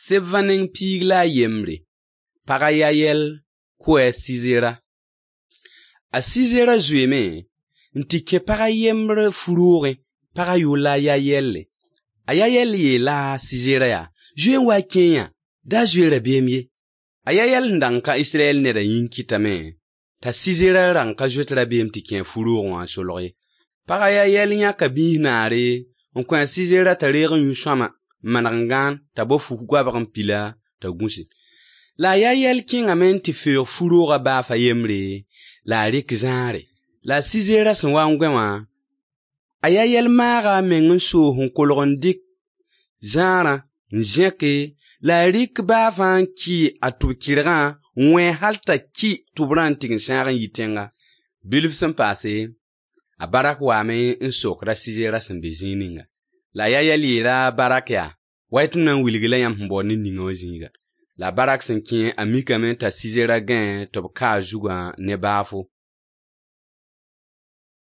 Sebvã neng 11. Pag a Yayɛl kʋ a Sizera. A Sizera zoeeme n tɩ kẽ pag a yembr fu-roogẽ, pagã yʋʋr la a Yayɛlle. A Yayɛl yeela a Sizera yaa: Zoe n wa n kẽe yã, da zoe rabeem ye. A Yayɛl sẽn dag n ka Israyɛl neda yĩng kɩtame t'a Sizera dag n ka zoet rabeem tɩ kẽ a fu-roogẽ wã n solg ye. Pag a Yayɛl yãka biis naare n kõ a Sizera t'a reeg n yũ sõama n maneg n gãan t'a bao fu-goabg n pil-a t'a gũsi. La a Yayɛl kẽngame n tɩ feoog fu-roogã baaf a yembre, la a rɩk zãare. La a Sizera sẽn wa n gõe wã, a Yayɛl maaga a meng n soos n kolg n dɩk zãarã n zẽke la a rɩk baafã n kɩ a tʋb-kɩrgã n wẽ hal t'a kɩ tʋbrã n tig n sãag n yi tẽnga. Bilf sẽn paase, a Barak waame n sokd a Sizera sẽn be zĩig ninga. La a Yayɛl yeela a Barak yaa: Wa-y tɩ m na n wilg-y-la yãmb sẽn baood ned ninga wã zĩiga. La a Barak sẽn kẽ, a mikame t'a Sizera gãe tɩ b ka a zugã ne baafo.